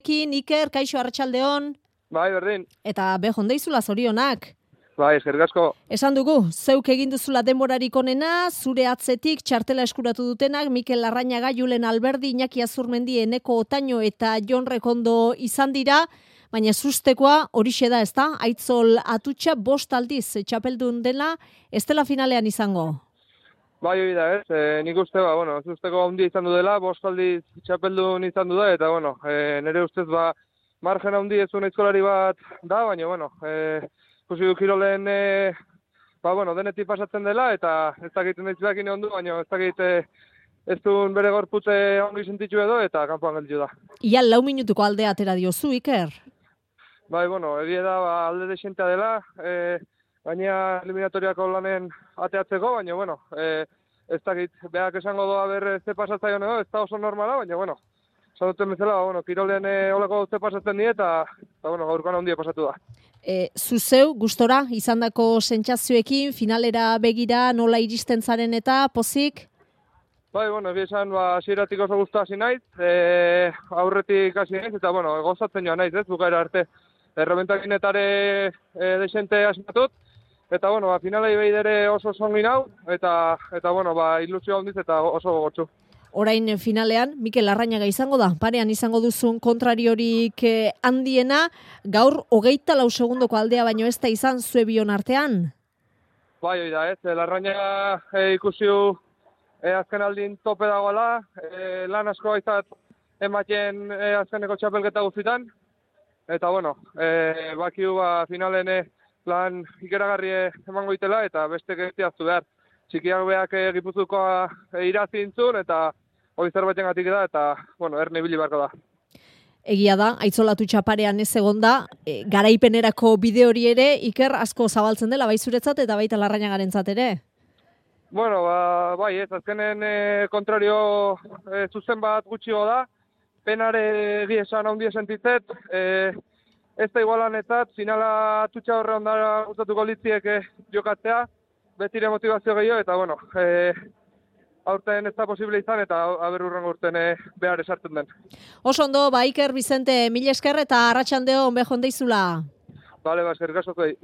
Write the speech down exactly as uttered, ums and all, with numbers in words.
Iker, kaixo arratsaldeon. Bai, berdin. Eta behon deizula zorionak. Bai, eskerrik asko. Esan dugu, zeuk egin duzula denborarik onena, zure atzetik txartela eskuratu dutenak, Mikel Larrañaga, Julen Alberdi, Iñaki Azurmendi, Eneko Otaño eta Jon Rekondo izan dira, baina sustekoa horixe da, ezta? Aitzol Atutxa bost aldiz txapeldun dela, ez dela finalean izango. Bai, hori da, ez? E, nik uste, ba, bueno, zusteko handia izan du dela, bost aldiz txapeldun izan du da, eta, bueno, e, nire ustez, ba, margen handi ez duen aizkolari bat da, baina, bueno, e, ikusi du Kirolen, e, ba, bueno, denetik pasatzen dela, eta ez dakit nahitzak ondu, baina ez dakit e, ez duen bere gorputze ongi sentitu edo, eta kanpoan gelditu da. Ia lau minutuko aldea atera diozu, Iker? Bai, bueno, egia da, ba, alde desentea dela, e, gaina eliminatoriako lanen ateatzeko, baina, bueno, e, ez dakit, behak esango doa ber ze pasatzaion edo, ez da oso normala, baina, bueno, esan duten bezala, ba, bueno, Kirolen e, olako ze pasatzen die, eta, eta bueno, gaurkoan handia pasatu da. E, zuzeu, gustora, izandako sentsazioekin, finalera begira, nola iristen zaren eta pozik? Bai, bueno, egia esan, ba, hasieratik oso guztua hasi naiz, e, aurretik hasi naiz, eta, bueno, gozatzen joan naiz, ez, bukaera arte. Errebentakinetare e, desente asmatut, eta, bueno, ba, finalei behidere oso zongin hau, eta, eta, bueno, ba, ilusio handiz eta oso gogotsu. Orain finalean, Mikel Larrañaga izango da, parean izango duzun kontrariorik eh, handiena, gaur hogeita lau segundoko aldea baino ez da izan zue bion artean? Bai, hori da, ez, Larrañaga e, ikusiu e, azken aldin tope dagoela, e, lan asko gaizat ematen e, azkeneko txapelketa guztitan, eta, bueno, e, bakiu ba, finalen e, lan ikeragarri emango itela, eta beste gestiaztu behar. Txikiak beak e, Gipuzkoa e, irazintzun, eta hori zerbaiten gatik da, eta, bueno, erne ibili beharko da. Egia da, aitzolatu txaparean ez egonda, e, garaipenerako bide hori ere, Iker asko zabaltzen dela, bai zuretzat eta baita Larrañagarentzat ere? Bueno, ba, bai, ez, azkenen e, kontrario e, zuzen bat gutxigo da, penare egia esan handia sentitzet, e, ez da igualanetzat, finala atutxa horre ondara gustatuko litziek e, jokatzea, betire motivazio gehiago, eta, bueno, e, aurten ez da posible izan, eta aber urrengo urten e, behar esartzen den. Oso ondo, ba Iker Bizente, mil esker eta arratsaldeon behon deizula. Bale, ba, eskerrik asko zuei.